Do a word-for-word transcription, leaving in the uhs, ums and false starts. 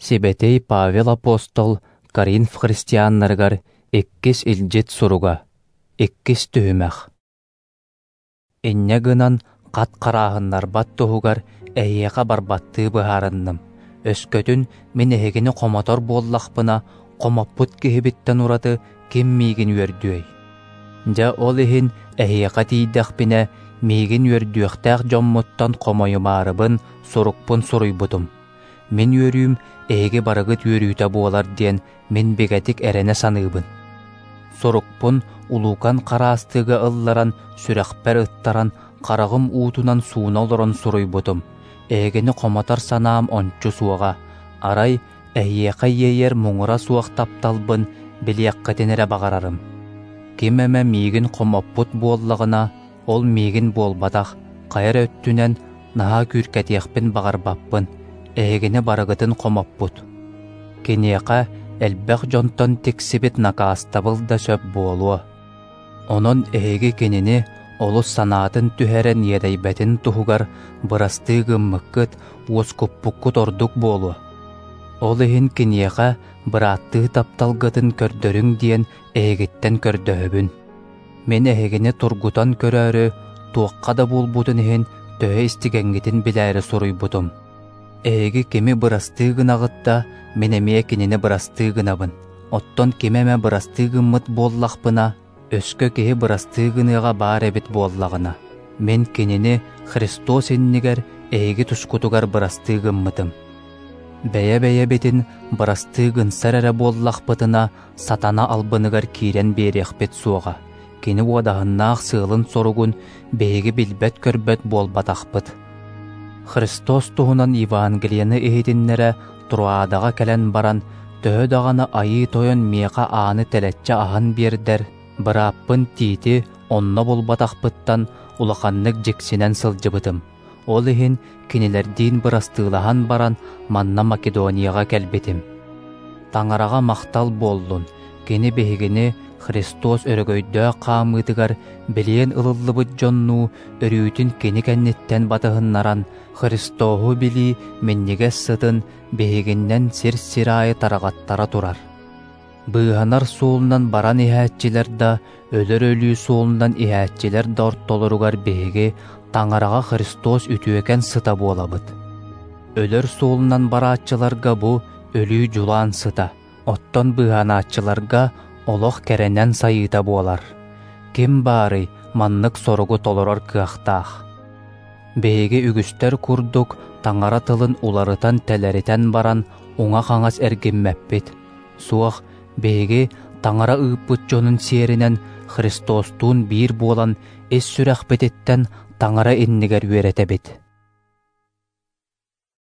Сибэтиэй Павел апостол Коринф христианнарыгар иккис илдьит суруга, иккис түһүмэх. Инньэ гынан хат харааһыннарбат туһугар эһиэхэ барбаттыы быһаарынным. Өскөтүн мин эһигини хомотор буоллахпына, хомоппут киһибиттэн ураты ким миигин үөрдүөй? Дьэ ол иһин эһиэхэ тиийдэхпинэ, миигин үөрдүөхтээх дьоммуттан хомойумаарыбын сурукпун суруйбутум. Мин үөрүүм эһиги барыгыт үөрүүтэ буолар диэн мин бигэтик эрэнэ саныыбын. Сурукпун улуукан хараастыыга ылларан, сүрэхпэр ыттаран, хараҕым уутунан сууна олорон суруйбутум. Эһигини хомотор санаам ончу суоҕа. Арай эһиэхэ иэйэр муҥура суох тапталбын билиэххитин эрэ баҕарарым. Ким эмэ миигин хомоппут буоллаҕына, ол миигин буолбатах, хайа эрэ өттүнэн наһаа күүркэтиэхпин баҕарбаппын, эһигини барыгытын хомоппут. Киниэхэ элбэх дьонтон тиксибит накаастабыл да сөп буолуо. Онон эһиги кинини олус санаатын түһэрэн иэдэйбэтин туһугар бырастыы гыммыккыт, уоскуппуккут ордук буолуо. Ол иһин киниэхэ бырааттыы тапталгытын көрдөрүҥ диэн эһигиттэн көрдөһөбүн. Мин эһигини тургутан көрөөрү, туохха да буолбутун иһин төһө истигэҥҥитин билээри суруйбутум. Эһиги кими бырастыы гынаҕыт да, мин эмиэ кинини бырастыы гынабын. Оттон кими эмэ бырастыы гыммыт буоллахпына, өскө киһи бырастыы гыныаҕа баар эбит буоллаҕына, мин кинини Христос иннигэр эһиги тускутугар бырастыы гыммытым. Бэйэ-бэйэбитин бырастыы гынсар эрэ буоллахпытына, сатана албыныгар киирэн биэриэхпит суоҕа. Кини уодаһыннаах сыалын-соругун биһиги билбэт-көрбөт буолбатахпыт. Христос туһунан Евангелиены иһитиннэрэ Троадаҕа кэлэн баран, төһө даҕаны Айыы Тойон миэхэ ааны тэлэччи аһан биэрдэр, бырааппын Тиити онно булбатахпыттан улаханнык дьиксинэн сылдьыбытым. Ол иһин кинилэрдиин бырастыылаһан баран манна Македонияҕа кэлбитим. Таҥараҕа махтал буоллун, кини биһигини Христос өрөгөйдөөх хаамыытыгар билиэн ылыллыбыт дьоннуу өрүүтүн кини кэнниттэн батыһыннаран, Христоһу билии минньигэс сытын биһигиннэн сир-сир аайы тарҕаттара турар. Быыһанар суолунан баран иһээччилэр да, өлөр өлүү суолунан иһээччилэр да ортолоругар биһиги Таҥараҕа Христос үтүөкэн сыта буолабыт. Өлөр суолунан барааччыларга бу өлүү дьулаан сыта, оттон быыһанааччыларга олох кэрэнэн сайыыта буолар. Ким баарый маннык соругу толорор кыахтаах? Биһиги үгүстэр курдук Таҥара тылын уларытан-тэлэритэн баран уҥа-хаҥас эргиммэппит. Суох, биһиги Таҥара ыыппыт дьонун сиэринэн Христостуун биир буолан ис сүрэхпититтэн Таҥара иннигэр үөрэтэбит.